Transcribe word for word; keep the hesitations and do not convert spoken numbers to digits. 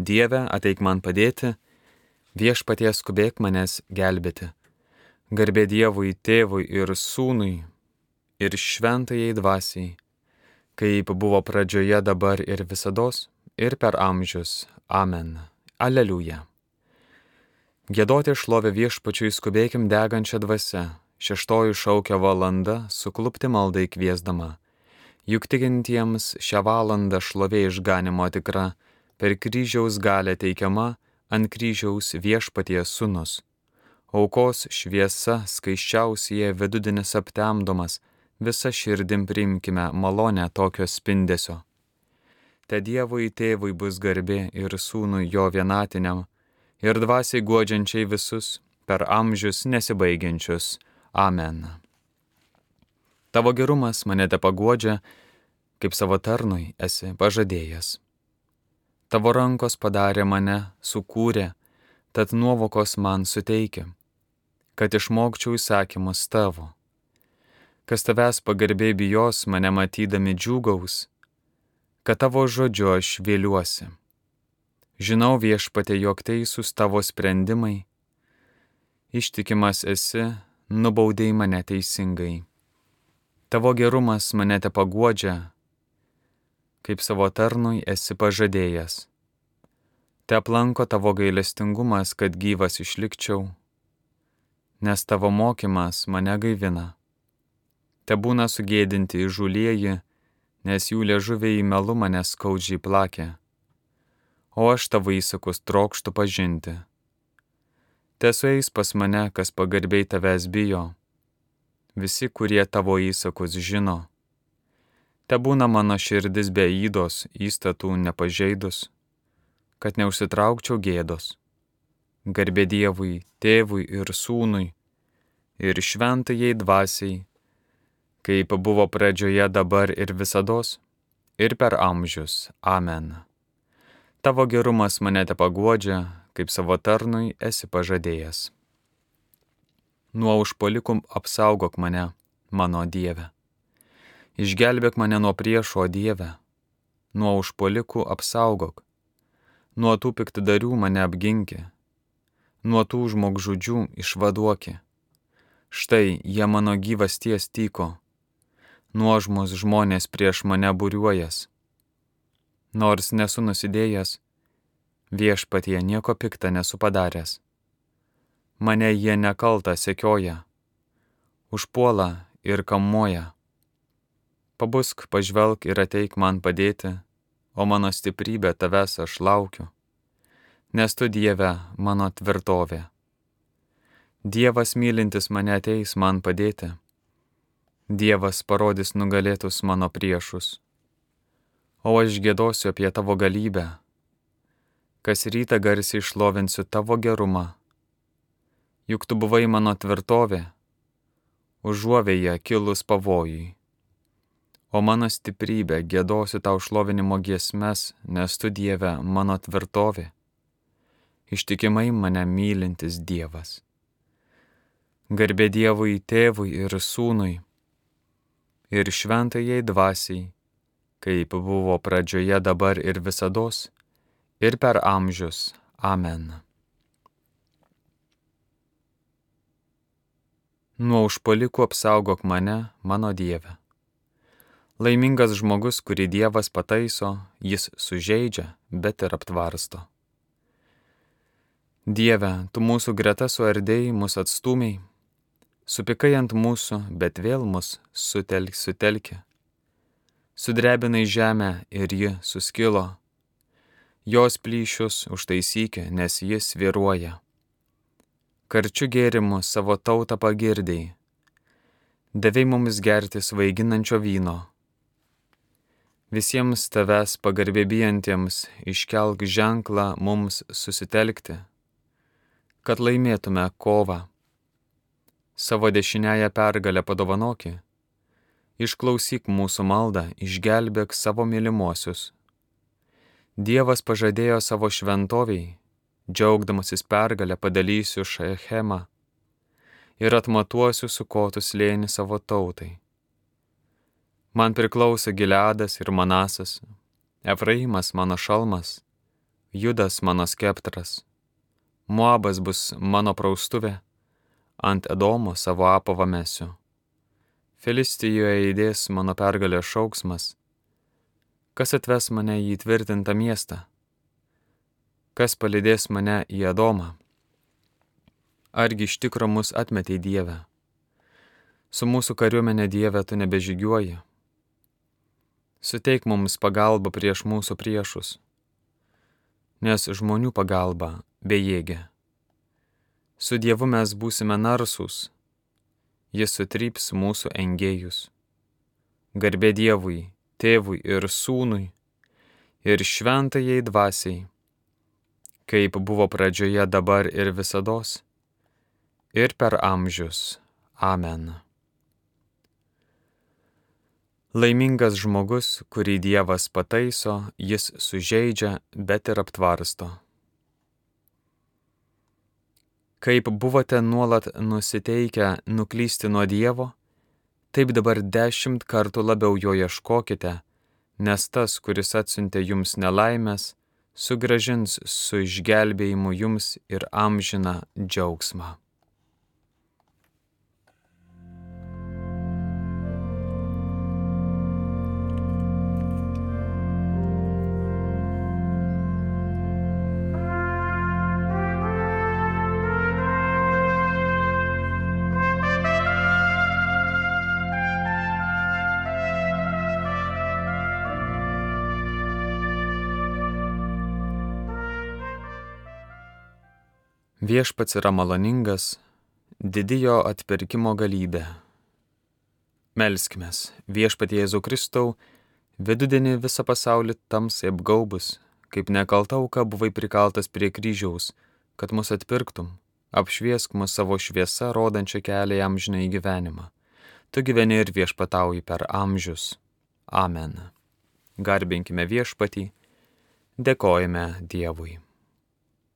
Dieve, ateik man padėti, viešpatie skubėk manęs gelbėti. Garbė Dievui, Tėvui ir Sūnui, ir šventajai dvasiai, kaip buvo pradžioje, dabar ir visados, ir per amžius. Amen. Aleliuja. Giedoti šlovę viešpačiui skubėkim degančią dvasią, šeštoji šaukia valanda, suklupti maldai kviesdama. Juk tikintiems šią valandą šlovė išganimo tikra, per kryžiaus galę teikiama, ant kryžiaus viešpaties sūnus. Aukos šviesa skaisčiausie vidudinis aptemdomas, visa širdim priimkime malonę tokio spindesio. Te Dievui Tėvui bus garbė ir Sūnui jo vienatiniam, ir dvasiai guodžiančiai visus, per amžius nesibaigiančius. Amen. Tavo gerumas mane te paguodžia, kaip savo tarnui esi pažadėjęs. Tavo rankos padarė mane, sukūrė, tad nuovokos man suteikia, kad išmokčiau įsakymus tavo. Kas tavęs pagarbiai bijos, mane matydami džiūgaus, kad tavo žodžiu aš vėliuosi. Žinau viešpatie, jog teisūs tavo sprendimai, ištikimas esi, nubaudei mane teisingai. Tavo gerumas mane te paguodžia, kaip savo tarnui esi pažadėjęs. Te aplanko tavo gailestingumas, kad gyvas išlikčiau, nes tavo mokymas mane gaivina. Te būna sugėdinti įžūlieji, nes jų liežuviai melu mane skaudžiai plakė, o aš tavo įsakus trokštu pažinti. Te sueis pas mane, kas pagarbiai tavęs bijo, visi, kurie tavo įsakus žino. Te būna mano širdis be ydos, įstatų nepažeidus, kad neužsitraukčiau gėdos. Garbė Dievui, Tėvui ir Sūnui, ir šventajai dvasiai, kaip buvo pradžioje, dabar ir visados, ir per amžius. Amen. Tavo gerumas mane te paguodžia, kaip savo tarnui esi pažadėjęs. Nuo užpuolikų apsaugok mane, mano Dieve. Išgelbėk mane nuo priešo, Dieve. Nuo užpuolikų apsaugok. Nuo tų piktadarių mane apginki, nuo tų žmogžudžių išvaduoki. Štai jie mano gyvasties tyko, nuožmus žmonės prieš mane būriuojas. Nors nesu nusidėjęs, viešpatie nieko pikta nesu padaręs. Mane jie nekalta sekioja, užpuola ir kamuoja. Pabusk, pažvelk ir ateik man padėti, o mano stiprybė tavęs aš laukiu, nes tu, Dieve, mano tvirtovė. Dievas mylintis mane ateis man padėti, Dievas parodys nugalėtus mano priešus, o aš giedosiu apie tavo galybę, kas rytą garsiai šlovinsiu tavo gerumą. Juk tu buvai mano tvirtovė, užuovėje kilus pavojui. O mano stiprybė, giedosiu tau šlovinimo giesmes, nes tu, Dieve, mano tvirtovė, ištikimai mane mylintis Dievas. Garbė Dievui, Tėvui ir Sūnui, ir šventajai dvasiai, kaip buvo pradžioje, dabar ir visados, ir per amžius. Amen. Nuo užpuolikų apsaugok mane, mano Dieve. Laimingas žmogus, kurį Dievas pataiso, jis sužeidžia, bet ir aptvarsto. Dieve, tu mūsų greta suardėjai, mus atstūmiai, supykai ant mūsų, bet vėl mus sutelk, sutelki. Sudrebinai žemę ir ji suskilo, jos plyšius užtaisykė, nes jis svyruoja. Karčiu gėrimu savo tautą pagirdėjai, davei mums gerti svaiginančio vyno. Visiems tavęs pagarbėbijantiems iškelk ženklą mums susitelkti, kad laimėtume kovą. Savo dešiniąją pergalę padovanoki, išklausyk mūsų maldą, išgelbėk savo mylimuosius. Dievas pažadėjo savo šventoviai, džiaugdamasis pergalę padalysiu Šechemą ir atmatuosiu Sukotų slėnį savo tautai. Man priklauso Gileadas ir Manasas, Efraimas mano šalmas, Judas mano skeptras, Moabas bus mano praustuvė, ant Edomo savo apavą mesiu. Filistijoje įdės mano pergalės šauksmas. Kas atves mane į tvirtintą miestą? Kas palydės mane į Edomą? Argi iš tikro mus atmetei, Dieve? Su mūsų kariuomenė, Dieve, tu nebežygiuoji. Suteik mums pagalbą prieš mūsų priešus, nes žmonių pagalba bejėgė. Su Dievu mes būsime narsūs, jis sutryps mūsų engėjus. Garbė Dievui, Tėvui ir Sūnui, ir šventajai dvasiai, kaip buvo pradžioje, dabar ir visados, ir per amžius. Amen. Laimingas žmogus, kurį Dievas pataiso, jis sužeidžia, bet ir aptvarsto. Kaip buvote nuolat nusiteikę nuklysti nuo Dievo, taip dabar dešimt kartų labiau jo ieškokite, nes tas, kuris atsiuntė jums nelaimės, sugrąžins su išgelbėjimu jums ir amžiną džiaugsmą. Viešpats yra maloningas, didi jo atpirkimo galybė. Melskimės, Viešpatie Jėzau Kristau, vidudienį visą pasaulį tamsai apgaubus, kaip nekalta auka buvai prikaltas prie kryžiaus, kad mus atpirktum, apšviesk mus savo šviesa, rodančią kelią į amžinąjį gyvenimą. Tu gyveni ir viešpatauji per amžius. Amen. Garbinkime Viešpatį, dėkojame Dievui.